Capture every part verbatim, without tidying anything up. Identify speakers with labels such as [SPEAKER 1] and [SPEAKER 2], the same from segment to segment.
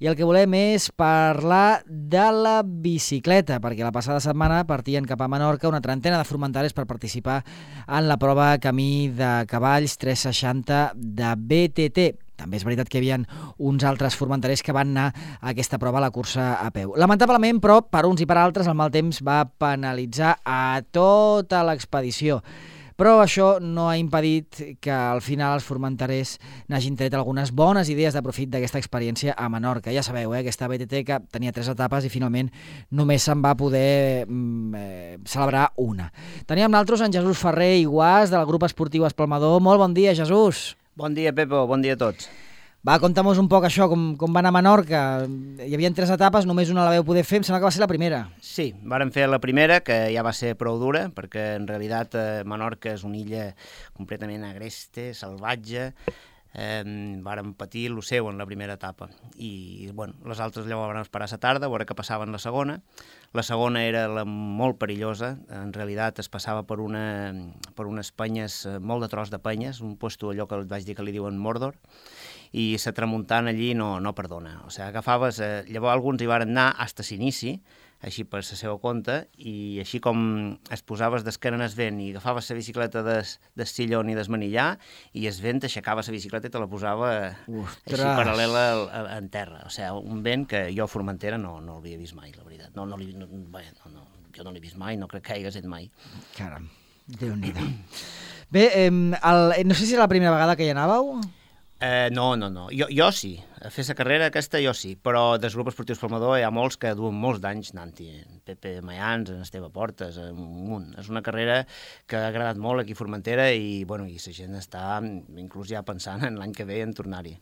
[SPEAKER 1] i el que volem és parlar de la bicicleta, perquè la passada setmana partien cap a Menorca una trentena de formentales per participar en la prova Camí de Cavalls tres seixanta de B T T. També és veritat que hi havia uns altres formentarers que van anar a aquesta prova, a la cursa a peu. Lamentablement, però, per uns i per altres, el mal temps va penalitzar a tota l'expedició. Però això no ha impedit que al final els formentarers n'hagin tret algunes bones idees de profit d'aquesta experiència a Menorca. Ja sabeu, eh, aquesta B T T que tenia tres etapes i finalment només se'n va poder eh, celebrar una. Teníem nosaltres en Jesús Ferrer i Guàs del grup esportiu Espalmador. Molt bon dia, Jesús.
[SPEAKER 2] Bon dia, Pepo, bon dia a tots.
[SPEAKER 1] Va, conta'm-nos un poc això, com, com va anar a Menorca. Hi havia tres etapes, només una la veu poder fer, em sembla que va ser la primera.
[SPEAKER 2] Sí, vàrem fer la primera, que ja va ser prou dura, perquè en realitat eh, Menorca és una illa completament agreste, salvatge. Eh, vàrem patir el seu en la primera etapa i bueno, les altres llavors vam esperar a la tarda a veure què passava en la segona. La segona era la molt perillosa, en realitat es passava per, una, per unes penyes, molt de tros de penyes, un puesto allò que vaig dir que li diuen Mordor, i la tramuntana allí no, no perdona. O sigui, agafaves, eh, llavors alguns hi van anar fins a l'inici, així per la seva compte, i així com es posaves d'esquena en el vent i agafaves la bicicleta des, des sillon i des manillar, i el vent aixecava la bicicleta i te la posava
[SPEAKER 1] Ostres.
[SPEAKER 2] així paral·lela en terra. O sigui, un vent que jo a Formentera no, no l'havia vist mai, la veritat. No, no, no, bé, no, no, jo no l'he vist mai, no crec que hi hagués mai.
[SPEAKER 1] Caram, Déu-n'hi-do. Bé, eh, el, no sé si era la primera vegada que hi anàveu.
[SPEAKER 2] Eh, no, no, no. Jo, jo sí. A fer la carrera aquesta jo sí, però del grup esportiu Espalmador hi ha molts que duen molts d'anys anant-hi. En Pepe Mayans, en Esteve Portes, un munt. És una carrera que ha agradat molt aquí a Formentera i, bueno, i la gent està inclús ja pensant en l'any que ve en tornar-hi.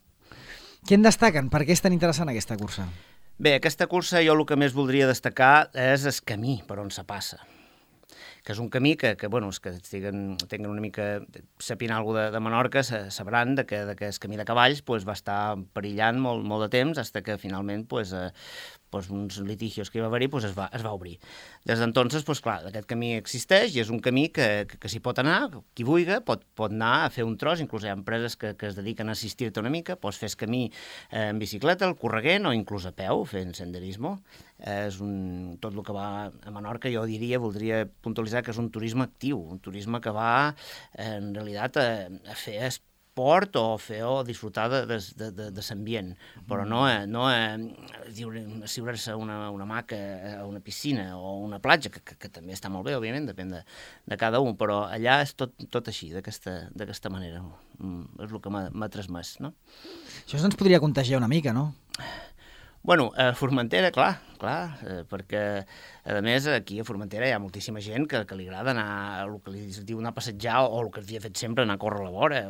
[SPEAKER 1] Què en destaquen? Per què és tan interessant aquesta cursa?
[SPEAKER 2] Bé, aquesta cursa jo el que més voldria destacar és el camí per on se passa, que és un camí que, que bueno, els que tinguin, tinguin una mica, sapint alguna de, de Menorca, sabran de que, de que el camí de cavalls pues, va estar perillant molt, molt de temps, fins que finalment pues, eh, pues, uns litigios que hi va haver-hi pues, es, va, es va obrir. Des d'entonces, pues, clar, aquest camí existeix i és un camí que, que, que s'hi pot anar, qui vulgui pot, pot anar a fer un tros, inclús hi ha empreses que, que es dediquen a assistir-te una mica, pots fer el camí eh, en bicicleta, el correguent o inclús a peu, fent senderismo. Eh, és un, tot el que va a Menorca, jo diria, voldria puntualitzar que és un turisme actiu, un turisme que va eh, en realitat a, a fer esport o fer o disfrutar de, de, de, de, de l'ambient, però no, a, no a, a siurar-se una, una hamaca a una piscina o una platja, que, que, que també està molt bé, òbviament, depèn de, de cada un, però allà és tot, tot així, d'aquesta manera. És el que m'ha transmès, no?
[SPEAKER 1] Això ens podria contagiar una mica, no?
[SPEAKER 2] Bueno, a Formentera, clar, clar, eh, perquè, a més, aquí a Formentera hi ha moltíssima gent que, que li agrada anar a el que li diu anar a passejar o el que havia fet sempre, anar a córrer a la vora,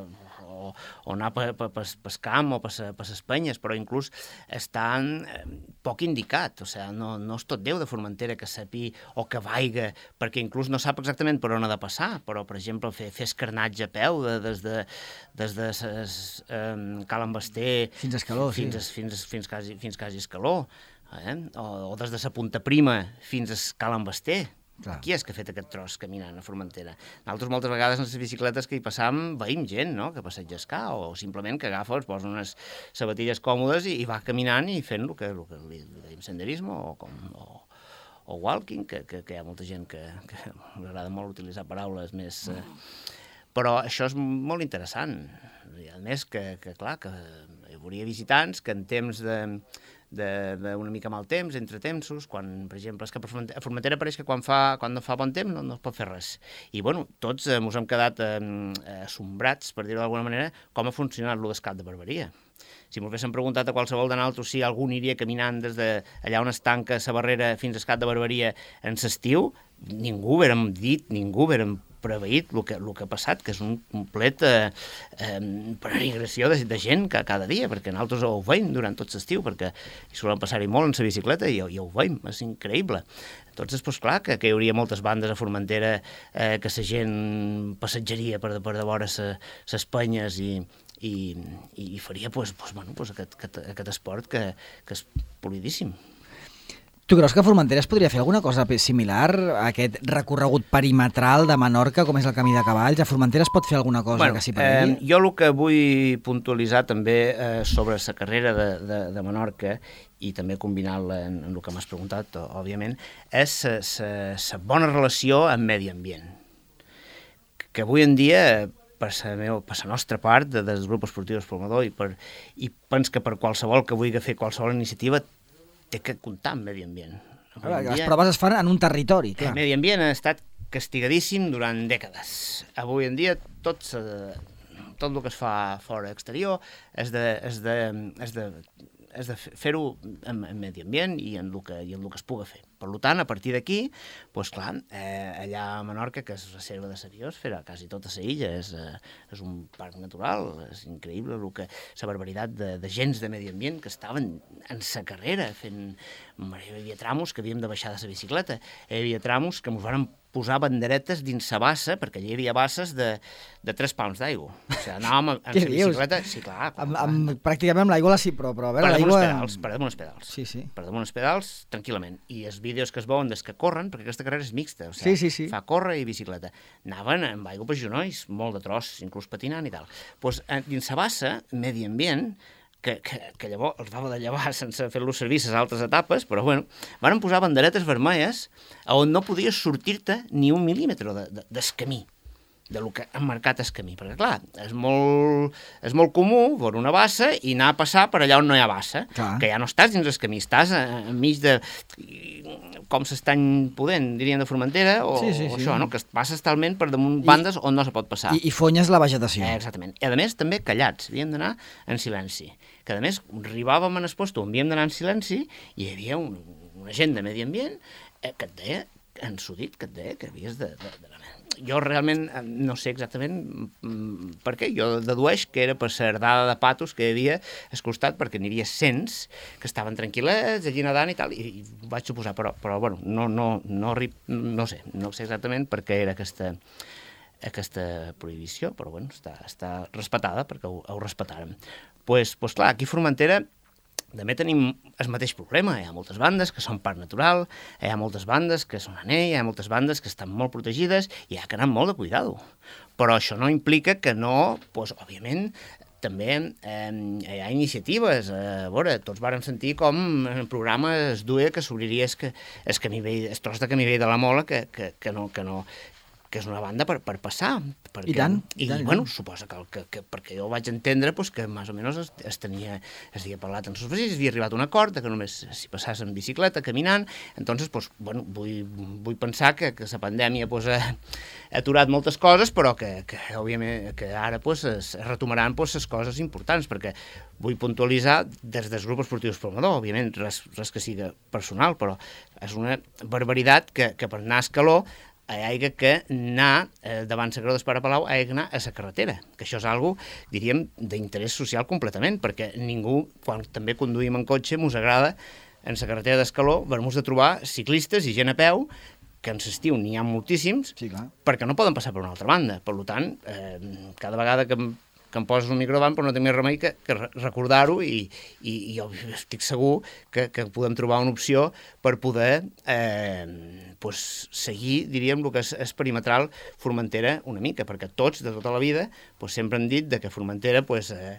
[SPEAKER 2] o, o anar per pa, pa, pa camp o per les penyes, però inclús estan eh, poc indicat, o sigui, no, no és tot Déu de Formentera que sapi o que vaiga, perquè inclús no sap exactament per on ha de passar, però, per exemple, fer, fer escarnatge a peu de, des de, des de ses, eh, Cal Envester
[SPEAKER 1] fins a Escaló,
[SPEAKER 2] fins,
[SPEAKER 1] sí.
[SPEAKER 2] fins, fins, fins, quasi, fins quasi Escaló, eh? o, o des de sa Punta Prima fins a Cal Envester. Clar. Qui és que ha fet aquest tros caminant a Formentera? Nosaltres moltes vegades en les bicicletes que hi passam veiem gent, no?, que passeja escar, o simplement que agafa, es posa unes sabatilles còmodes i, i va caminant i fent el que, el que li dèiem senderisme o, com, o, o walking, que, que, que hi ha molta gent que, que m'agrada molt utilitzar paraules més... Eh, però això és molt interessant. I a més que, que clar, que hi hauria visitants que en temps de... d'una mica mal temps, entre tempsos, quan, per exemple, és que a Formentera pareix que quan, fa, quan no fa bon temps no, no es pot fer res. I, bueno, tots eh, ens hem quedat eh, assombrats, per dir-ho d'alguna manera, com ha funcionat lo d'Escat de Barberia. Si m'ho haguéssim preguntat a qualsevol de nosaltres si algú aniria caminant des de allà on es tanca la barrera fins a Escat de Barberia en l'estiu, ningú haguérem dit, ningú haguérem preveït el que, el que ha passat, que és un complet eh, eh, peregrinació de, de gent que cada dia, perquè nosaltres ho veiem durant tot l'estiu, perquè hi solen passar-hi molt en la bicicleta i, i ho veiem, és increïble. Doncs, pues, clar, que, que hi hauria moltes bandes a Formentera, eh, que la gent passejaria per, per de vora les penyes i, i, i faria pues, pues, bueno, pues, aquest, aquest, aquest esport que, que és polidíssim.
[SPEAKER 1] Tu creus que Formentera es podria fer alguna cosa similar a aquest recorregut perimetral de Menorca, com és el Camí de Cavalls? A Formentera es pot fer alguna cosa
[SPEAKER 2] bueno,
[SPEAKER 1] que s'hi paregui?
[SPEAKER 2] Eh, jo el que vull puntualitzar també eh, sobre la carrera de, de, de Menorca, i també combinant-la en, en el que m'has preguntat, òbviament, és la bona relació amb medi ambient. Que avui en dia, per la, meu, per la nostra part, de, del grup esportiu Esplumador, i, per, i pens que per qualsevol que vulgui fer qualsevol iniciativa, té que comptar amb medi ambient.
[SPEAKER 1] Clar, les dia, proves es fan en un territori, clar.
[SPEAKER 2] El medi ambient ha estat castigadíssim durant dècades. Avui en dia tot, tot el que es fa fora exterior és de, és de, és de, és de fer-ho en, en medi ambient i en el que, i en el que es puga fer. Per tant, a partir d'aquí, doncs clar, eh, allà a Menorca, que és reserva de la biosfera, quasi tota la illa, és, eh, és un parc natural, és increïble el que, la barbaritat de, de gens de medi ambient que estaven en sa carrera fent... Hi havia tramos que havíem de baixar de la bicicleta, hi havia tramos que ens van posar banderetes dins la bassa, perquè allà hi havia basses de, de tres pams d'aigua. O sigui, anàvem amb la bicicleta... Sí, clar, clar,
[SPEAKER 1] amb, amb, pràcticament amb l'aigua, sí, però, però a veure,
[SPEAKER 2] per damunt
[SPEAKER 1] l'aigua...
[SPEAKER 2] els pedals, per damunt els pedals.
[SPEAKER 1] Sí, sí.
[SPEAKER 2] Per damunt els pedals, tranquil·lament. I els vídeos que es veuen des que corren, perquè aquesta carrera és mixta, o sigui,
[SPEAKER 1] sí, sí, sí.
[SPEAKER 2] fa córrer i bicicleta. Anaven amb aigua per genolls, molt de tros, inclús patinant i tal. Doncs dins la bassa, medi ambient, que, que, que llavors els va haver de llevar sense fer-los servir les altres etapes, però bueno, van posar banderetes vermelles on no podies sortir-te ni un mil·límetre de, de, del camí, del que han marcat el camí, perquè clar, és molt, és molt comú veure una bassa i anar a passar per allà on no hi ha bassa, clar. Que ja no estàs dins el camí, estàs enmig de... com s'estany podent, dirien de Formentera, o, sí, sí, sí. o això, no? Que passes talment per damunt bandes I, on no se pot passar.
[SPEAKER 1] I, i fonyes la vegetació.
[SPEAKER 2] Eh, exactament. I a més, també callats, havíem d'anar en silenci. Que a més, arribàvem en el posto on havíem d'anar en silenci i hi havia un, un agent de medi ambient eh, que et deia, ensudit, que et deia que havies de... de, de jo realment no sé exactament per què, jo dedueix que era per la herdada de patos que hi havia al costat, perquè n'hi havia cents que estaven tranquil·lets, allí nedant i tal, i, i vaig suposar, però, però bueno, no, no, no, no sé, no sé exactament per què era aquesta, aquesta prohibició, però bueno, està, està respetada, perquè ho, ho respetàrem. Doncs pues, pues clar, aquí a Formentera també tenim el mateix problema, hi ha moltes bandes que són parc natural, hi ha moltes bandes que són anell, hi ha moltes bandes que estan molt protegides i hi ha que anar molt de cuidado. Però això no implica que no, doncs, òbviament, també eh, hi ha iniciatives. Eh, a veure, tots vàrem sentir com en el programa es duia que s'obriria el, el, camí vell, el tros de camí vell de la Mola, que, que, que no... Que no que és una banda per, per passar. Perquè,
[SPEAKER 1] I tant.
[SPEAKER 2] I,
[SPEAKER 1] i tant,
[SPEAKER 2] bueno,
[SPEAKER 1] tant.
[SPEAKER 2] suposa que, que, que perquè jo vaig entendre pues, que més o menys es, es tenia, es havia parlat en els vecins, havia arribat a un acord que només s'hi passàs en bicicleta, caminant, entonces, pues, bueno, vull, vull pensar que, que la pandèmia pues, ha, ha aturat moltes coses, però que, que òbviament, que ara pues, es retomaran pues, les coses importants, perquè vull puntualitzar des del grup esportiu Esplumador, òbviament, res, res que sigui personal, però és una barbaritat que, que per anar a Escaló hi hagi que anar, eh, davant la Creu d'Espara Palau, hi hagi que anar a la carretera, que això és algo, diríem, d'interès social completament, perquè ningú, quan també conduïm en cotxe, ens agrada, en la carretera d'Escaló, ver-nos de trobar ciclistes i gent a peu, que en l'estiu n'hi ha moltíssims,
[SPEAKER 1] sí, clar.
[SPEAKER 2] Perquè no poden passar per una altra banda. Per tant, eh, cada vegada que que em poses un micro davant, però no té més remei que, que recordar-ho i, i, i jo estic segur que, que podem trobar una opció per poder eh, pues, seguir, diríem, el que és, és perimetral Formentera una mica, perquè tots, de tota la vida, pues, sempre han dit de que Formentera pues, eh,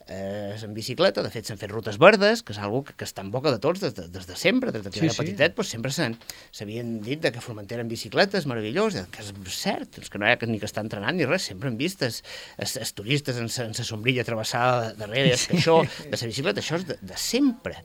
[SPEAKER 2] eh, és en bicicleta, de fet s'han fet rutes verdes, que és una que, que està en boca de tots des de, des de sempre, des de que sí, era sí. petitet, pues, sempre s'havien dit de que Formentera en bicicleta és meravellós, que és cert, és que no hi ha ni que estar entrenant ni res, sempre hem vist els, els, els turistes en la sombrilla travessada darrere, és que això, de la bicicleta, això és de, de sempre.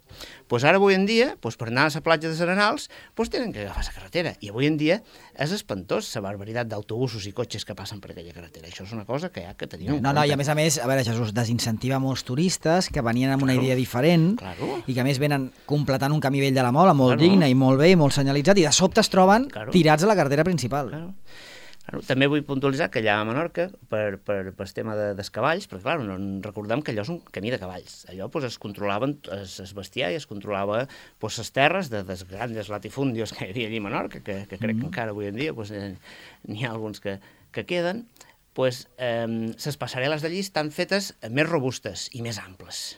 [SPEAKER 2] Pues ara, avui en dia, pues, per anar a la platja de Serenals, pues, tenen que agafar la carretera. I avui en dia és espantós la barbaritat d'autobusos i cotxes que passen per aquella carretera. Això és una cosa que hi ha que tenir en
[SPEAKER 1] no, no, i a més a més, a veure, Jesús, desincentiva molts turistes que venien amb una claro, idea diferent
[SPEAKER 2] claro.
[SPEAKER 1] i que a més venen completant un camí vell de la Mola molt
[SPEAKER 2] claro.
[SPEAKER 1] digne i molt bé i molt senyalitzat i de sobte es troben
[SPEAKER 2] claro.
[SPEAKER 1] tirats a la carretera principal.
[SPEAKER 2] Claro. Claro, també vull puntualitzar que allà a Menorca, per, per, per el tema de, dels cavalls, perquè clar, no, recordem que allò és un camí de cavalls. Allò pues, es controlaven es, es bestiar i es controlava pues, les terres de, dels grans latifundios que hi havia allà a Menorca, que, que crec mm. que encara avui en dia pues, eh, n'hi ha alguns que, que queden, pues, eh, les passarel·les d'allí estan fetes més robustes i més amples.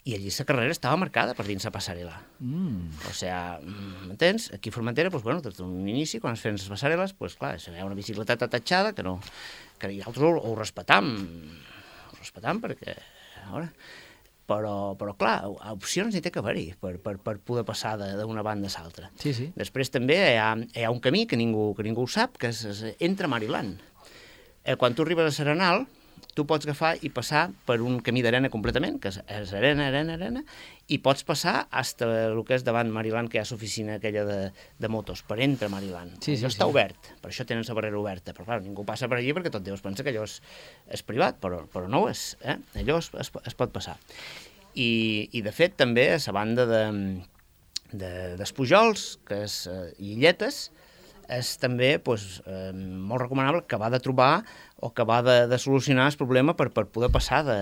[SPEAKER 2] i allí la carrera estava marcada per dins la passarel·la. Mm. O sigui, m'entens? Aquí a Formentera, doncs, bueno, des d'un inici, quan es feien les passarel·les, doncs, clar, hi ha una bicicleteta tatxada que no... que nosaltres ho, ho respetam, ho respetam perquè, a veure, però, però clar, opcions n'hi té que haver-hi per, per, per poder passar d'una banda a l'altra.
[SPEAKER 1] Sí, sí.
[SPEAKER 2] Després també hi ha, hi ha un camí que ningú, que ningú ho sap, que és, és entre Mariland. Eh, quan tu arribes a Serenal, tu pots agafar i passar per un camí d'arena completament, que és, és arena, arena, arena, i pots passar fins el que és davant Mariland, que hi ha l'oficina aquella de, de motos, per entre Mariland.
[SPEAKER 1] Sí, sí,
[SPEAKER 2] allò està
[SPEAKER 1] sí.
[SPEAKER 2] obert, per això tenen la barrera oberta, però clar, ningú passa per allí perquè tot Déu es pensa que allò és, és privat, però, però no ho és, eh? Allò es, es, es pot passar. I, i de fet també a la banda de, de, d'Espujols, que és uh, Illetes, és també doncs, eh, molt recomanable acabar de trobar o acabar de, de solucionar el problema per, per poder passar de,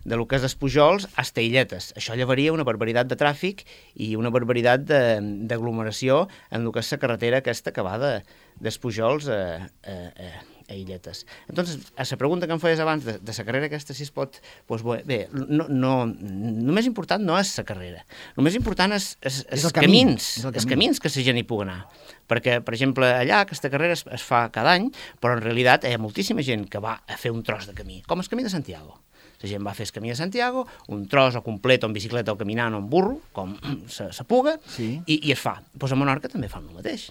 [SPEAKER 2] de lo que és d'Espujols a Illetes. Això llevaria una barbaritat de tràfic i una barbaritat d'aglomeració en el que és la carretera aquesta que va d'Espujols a, a, a, a Illetes. Entonces, a la pregunta que em feies abans de, de la carrera aquesta, si es pot... Doncs bé, no, no, el més important no és la carrera. El més important és, és, és, és el camins, és el camí. Els camins que la gent hi pugui anar. Perquè, per exemple, allà aquesta carrera es, es fa cada any, però en realitat hi ha moltíssima gent que va a fer un tros de camí, com el camí de Santiago. La gent va a fer el camí de Santiago, un tros o complet, o en bicicleta, o caminant, o en burro, com se, se puga,
[SPEAKER 1] sí.
[SPEAKER 2] i, i es fa. Pues a Menorca també fan el mateix.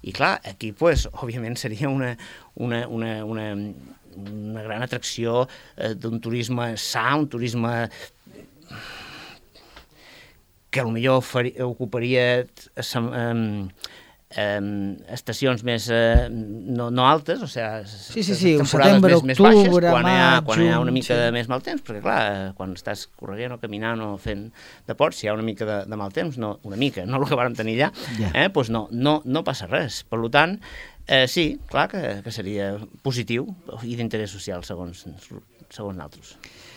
[SPEAKER 2] I clar, aquí, pues, òbviament, seria una, una, una, una, una gran atracció eh, d'un turisme sa, un turisme que potser faria, ocuparia eh, Um, estacions més uh, no, no altes, o sigui,
[SPEAKER 1] sí, sí, sí,
[SPEAKER 2] temporades
[SPEAKER 1] setembre,
[SPEAKER 2] més, més baixes,
[SPEAKER 1] octubre,
[SPEAKER 2] quan, hi ha,
[SPEAKER 1] maig,
[SPEAKER 2] quan hi ha
[SPEAKER 1] juny,
[SPEAKER 2] una mica
[SPEAKER 1] sí.
[SPEAKER 2] de més mal temps, perquè clar, quan estàs corrent o caminant o fent deport, si hi ha una mica de, de mal temps, no, una mica, no el que vàrem tenir allà, yeah. eh, doncs no, no, no passa res. Per tant, eh, sí, clar que, que seria positiu i d'interès social, segons, segons nosaltres.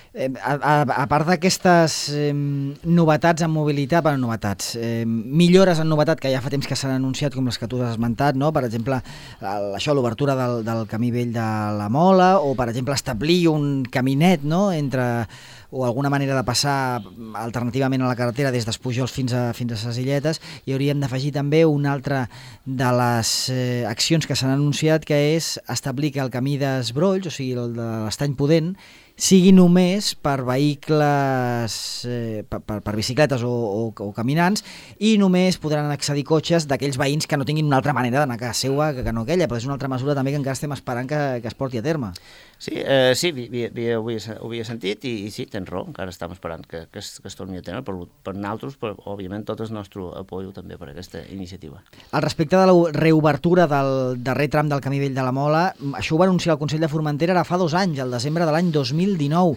[SPEAKER 1] Eh, a, a, a part d'aquestes eh, novetats en mobilitat, bueno, novetats, eh, millores en novetat que ja fa temps que s'han anunciat, com les que tu has esmentat, no? Per exemple, el, això, l'obertura del, del camí vell de la Mola, o per exemple establir un caminet, no?, entre, o alguna manera de passar alternativament a la carretera des d'Espujols fins a, fins a ses Illetes, i hauríem d'afegir també una altra de les eh, accions que s'han anunciat, que és establir que el camí d'Esbrolls, o sigui, el de l'Estany Pudent, sigui només per vehicles, eh, per, per, per bicicletes o, o, o caminants, i només podran accedir cotxes d'aquells veïns que no tinguin una altra manera d'anar a casa seva que, que no aquella, però és una altra mesura també que encara estem esperant que, que es porti a terme.
[SPEAKER 2] Sí, eh, sí vi, vi, vi, ho, havia, ho havia sentit i, i sí, tens raó, encara estem esperant que, que, es, que es torni a tenir, per, per nosaltres, però òbviament tot el nostre apoyo també per aquesta iniciativa.
[SPEAKER 1] Al respecte de la reobertura del darrer tram del camí vell de la Mola, això ho va anunciar el Consell de Formentera ara fa dos anys, al desembre de l'any dos mil dinou.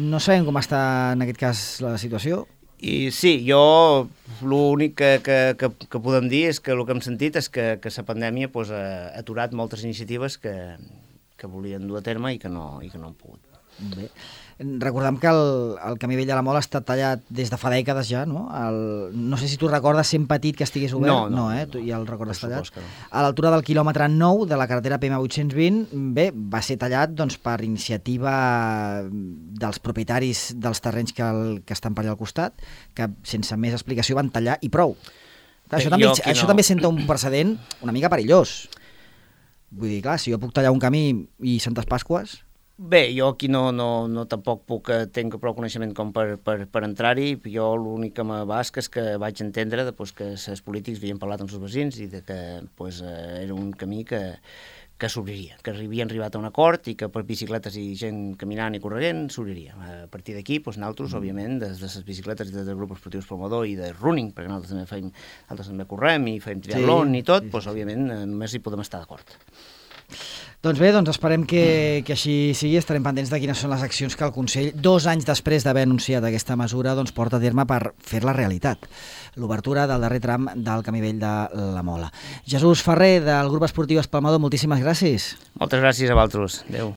[SPEAKER 1] No sabem com està en aquest cas la situació.
[SPEAKER 2] I sí, jo l'únic que, que, que, que podem dir és que el que hem sentit és que, que la pandèmia pues, ha aturat moltes iniciatives que, que volien dur a terme i que no, i que no han pogut.
[SPEAKER 1] Bé. Recordem que el, el camí vell de la Mola ha estat tallat des de fa dècades ja, no? El, no sé si tu recordes sent petit que estigués obert.
[SPEAKER 2] No, no,
[SPEAKER 1] no, eh?
[SPEAKER 2] no,
[SPEAKER 1] Tu ja el recordes tallat.
[SPEAKER 2] No.
[SPEAKER 1] A l'altura del quilòmetre nou de la carretera P M vuit-cents vint, bé, va ser tallat doncs, per iniciativa dels propietaris dels terrenys que, el, que estan per allà al costat, que sense més explicació van tallar i prou. Clar, això
[SPEAKER 2] Bé,
[SPEAKER 1] també,
[SPEAKER 2] jo,
[SPEAKER 1] això
[SPEAKER 2] no.
[SPEAKER 1] també senta un precedent una mica perillós. Vull dir, clar, si jo puc tallar un camí i Santes Pasques...
[SPEAKER 2] Bé, jo aquí no, no, no tampoc puc, tenc prou coneixement com per, per, per entrar-hi. Jo l'únic que me basca és que vaig entendre de, pues, que els polítics havien parlat amb els veïns i de que pues, era un camí que, que s'obriria, que havien arribat a un acord i que per bicicletes i gent caminant i corrent s'obriria. A partir d'aquí, pues, nosaltres, mm. òbviament, des de les bicicletes i des del grup esportius promotor i de running, perquè nosaltres també, feim, nosaltres també correm i fem triatlon sí, i tot, sí, sí, pues, òbviament, només hi podem estar d'acord.
[SPEAKER 1] Doncs bé, doncs esperem que, que així sigui. Estarem pendents de quines són les accions que el Consell, dos anys després d'haver anunciat aquesta mesura, doncs porta a terme per fer-la realitat. L'obertura del darrer tram del camí vell de la Mola. Jesús Ferrer, del grup esportiu Espalmador, moltíssimes gràcies.
[SPEAKER 2] Moltes gràcies a vosaltres. Adéu.